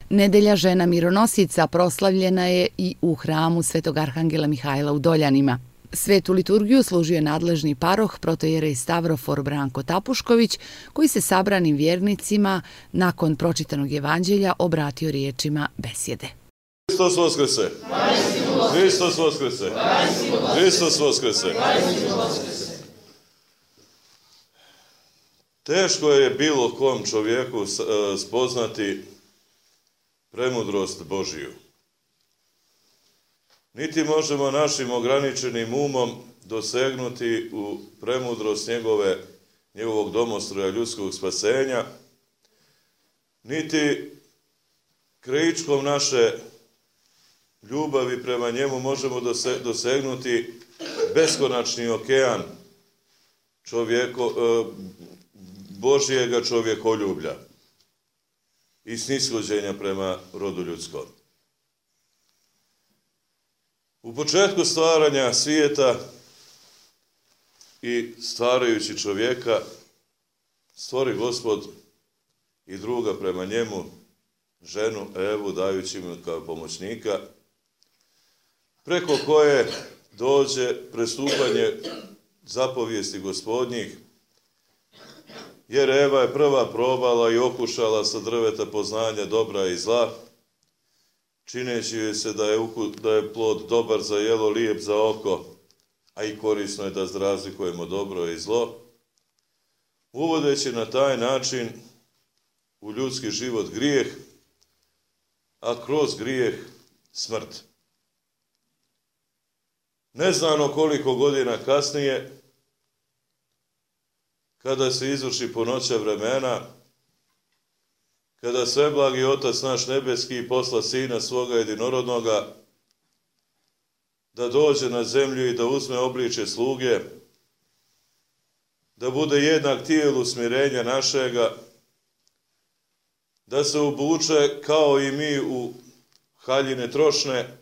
Nedelja žena mironosica proslavljena je i u hramu Svetog Arhangela Mihajla u Doljanima. Svetu liturgiju služio je nadležni paroh protojerej Stavrofor Branko Tapušković, koji se sabranim vjernicima nakon pročitanog evanđelja obratio riječima besjede. Hristos Voskrese! Hristos Voskrese! Hristos Voskrese! Teško je bilo kom čovjeku spoznati premudrost Božiju. Niti možemo našim ograničenim umom dosegnuti u premudrost njegovog domostroja ljudskog spasenja, niti krajičkom naše ljubavi prema njemu možemo dosegnuti beskonačni okean Božijega čovjekoljublja i snishođenja prema rodu ljudskom. U početku stvaranja svijeta i stvarajući čovjeka, stvori Gospod i druga prema njemu, ženu Evu, dajući mu kao pomoćnika, preko koje dođe prestupanje zapovijesti Gospodnjih, jer Eva je prva probala i okušala sa drveta poznanja dobra i zla, čineći joj se da je plod dobar za jelo, lijep za oko, a i korisno je da razlikujemo dobro i zlo, uvodeći na taj način u ljudski život grijeh, a kroz grijeh smrt. Neznano koliko godina kasnije, kada se izvrši punoća vremena, kada sveblagi Otac naš nebeski posla Sina svoga jedinorodnoga, da dođe na zemlju i da uzme obličje sluge, da bude jednak tijelu smirenja našega, da se obuče kao i mi u haljine trošne,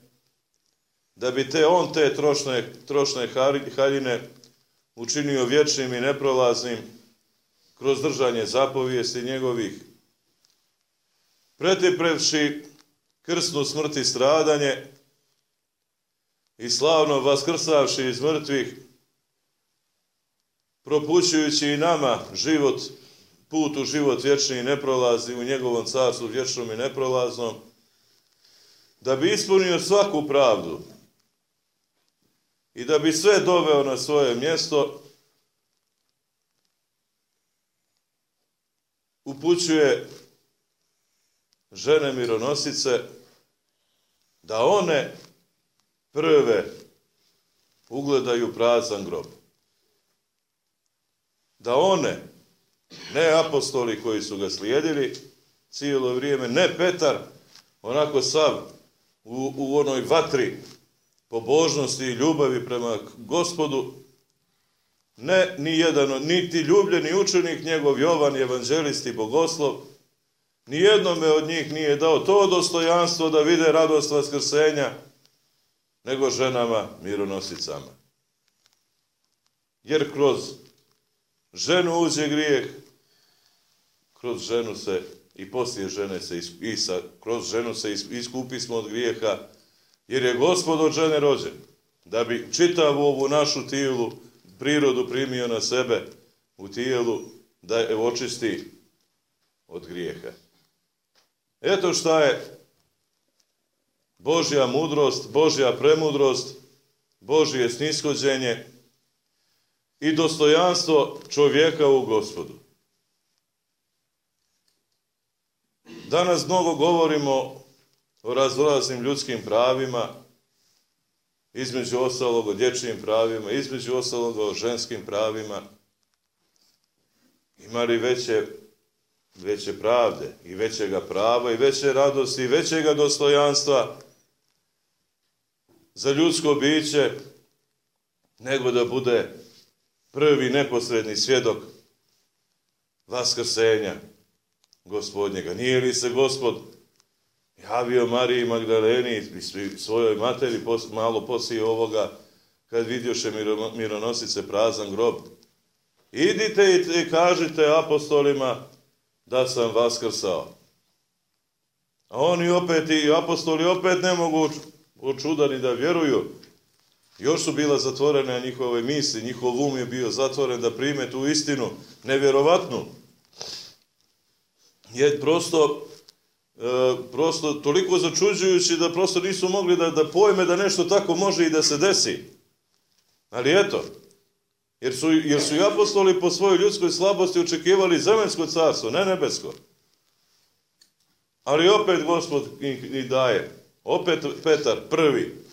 da bi on te trošne haljine učinio vječnim i neprolaznim kroz držanje zapovijesti njegovih, pretrpevši krsnu smrt i stradanje i slavno vaskrsavši iz mrtvih, propućujući i nama put u život vječni i neprolazni u njegovom carstvu vječnom i neprolaznom, da bi ispunio svaku pravdu i da bi sve doveo na svoje mjesto, upućuje žene mironosice da one prve ugledaju prazan grob. Da one, ne apostoli koji su ga slijedili cijelo vrijeme, ne Petar, onako sav u onoj vatri pobožnosti i ljubavi prema Gospodu, ne ni jedan, niti ljubljeni učenik njegov Jovan, evanđelist i bogoslov, nijednome od njih nije dao to dostojanstvo da vide radost vaskrsenja, nego ženama mironosicama. Jer kroz ženu uđe grijeh, kroz ženu se i poslije žene kroz ženu se iskupismo od grijeha, jer je Gospod od žene rođen, da bi čitavu ovu našu prirodu primio na sebe u tijelu, da je očisti od grijeha. Eto šta je Božja mudrost, Božja premudrost, Božje snishođenje i dostojanstvo čovjeka u Gospodu. Danas mnogo govorimo o raznoraznim ljudskim pravima, između ostalog o dječjim pravima, između ostalog o ženskim pravima. Ima li veće pravde i većega prava i veće radosti i većega dostojanstva za ljudsko biće nego da bude prvi neposredni svjedok vaskrsenja Gospodnjega? Nije li se Gospod javio Mariji Magdaleni i svojoj materi malo poslije ovoga, kad vidjoše mironosice prazan grob? Idite i kažite apostolima da sam vaskrsao. A oni opet i apostoli opet ne mogu očudani da vjeruju. Još su bila zatvorene njihove misli, njihov um je bio zatvoren da prime tu istinu, nevjerovatnu. Je prosto toliko začuđujući da prosto nisu mogli da pojme da nešto tako može i da se desi. Ali eto, jer su i apostoli po svojoj ljudskoj slabosti očekivali zemaljsko carstvo, ne nebesko. Ali opet Gospod ih daje. Opet Petar prvi,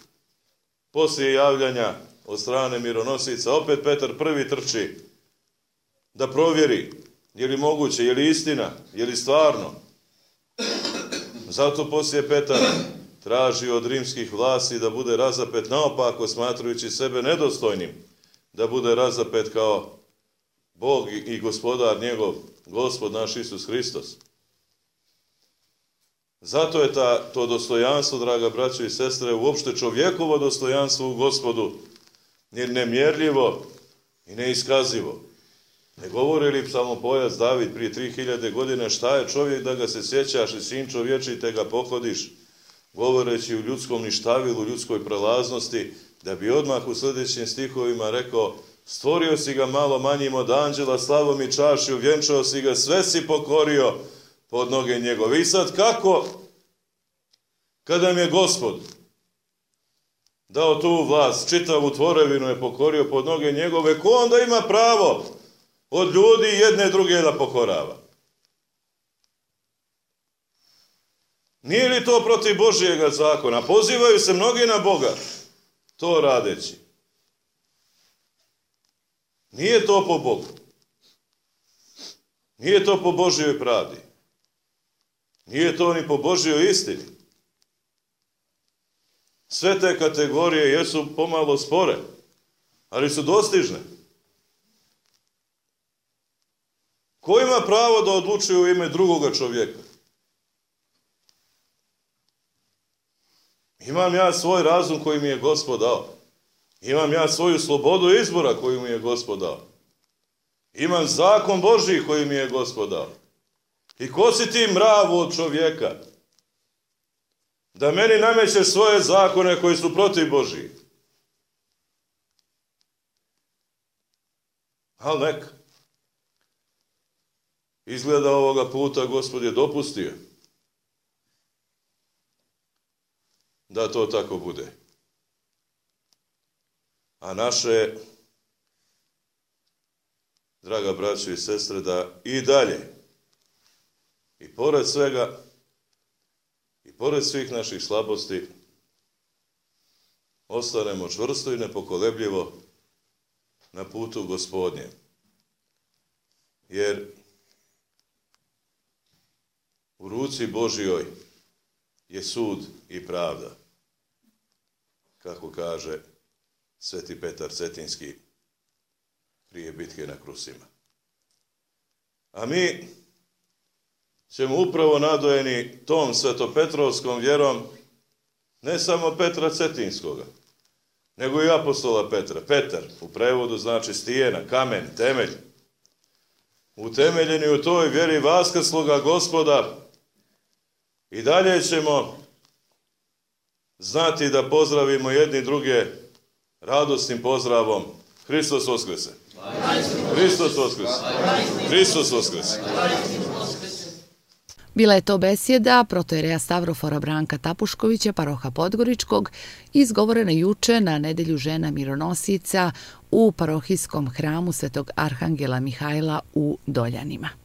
poslije javljanja od strane mironosica, opet Petar prvi trči da provjeri je li moguće, je li istina, je li stvarno. Zato poslije Petar traži od rimskih vlasti da bude razapet naopako, smatrajući sebe nedostojnim, da bude razapet kao Bog i gospodar njegov, Gospod naš Isus Hristos. Zato je to dostojanstvo, draga braćo i sestre, uopšte čovjekovo dostojanstvo u Gospodu, nemjerljivo i neiskazivo. Ne govori li psalmopojac David prije 3000 godina šta je čovjek da ga se sjećaš i sin čovječi te ga pohodiš, govoreći u ljudskom ništavilu, ljudskoj prelaznosti, da bi odmah u sljedećim stihovima rekao: stvorio si ga malo manjim od anđela, slavom i čašću, vjenčao si ga, sve si pokorio pod noge njegove. I sad kako, kada mi je Gospod dao tu vlast, čitavu tvorevinu je pokorio pod noge njegove, ko onda ima pravo od ljudi jedne druge da pokorava? Nije li to protiv Božijega zakona? Pozivaju se mnogi na Boga to radeći. Nije to po Bogu. Nije to po Božijoj pravdi. Nije to ni po Božijoj istini. Sve te kategorije jesu pomalo spore, ali su dostižne. Ko ima pravo da odlučuje u ime drugoga čovjeka? Imam ja svoj razum koji mi je Gospod dao. Imam ja svoju slobodu izbora koju mi je Gospod dao. Imam zakon Božji koji mi je Gospod dao. I ko si ti, mravu od čovjeka, da meni namećeš svoje zakone koji su protiv Božji? Ali neka. Izgleda ovoga puta Gospod je dopustio da to tako bude. A naše, draga braćo i sestre, da i dalje, i pored svega, i pored svih naših slabosti, ostanemo čvrsto i nepokolebljivo na putu Gospodnjem. Jer u ruci Božjoj je sud i pravda, kako kaže Sveti Petar Cetinski prije bitke na Krusima. A mi ćemo upravo nadojeni tom svetopetrovskom vjerom ne samo Petra Cetinskoga, nego i apostola Petra. Petar u prevodu znači stijena, kamen, temelj. Utemeljeni u toj vjeri vaskrsloga Gospoda, i dalje ćemo znati da pozdravimo jedni druge radosnim pozdravom: Hristos Voskrese! Hristos Voskrese! Hristos Voskrese! Bila je to besjeda protojereja Stavrofora Branka Tapuškovića, paroha Podgoričkog, izgovorena juče na nedelju žena mironosica u parohijskom hramu Svetog Arhangela Mihajla u Doljanima.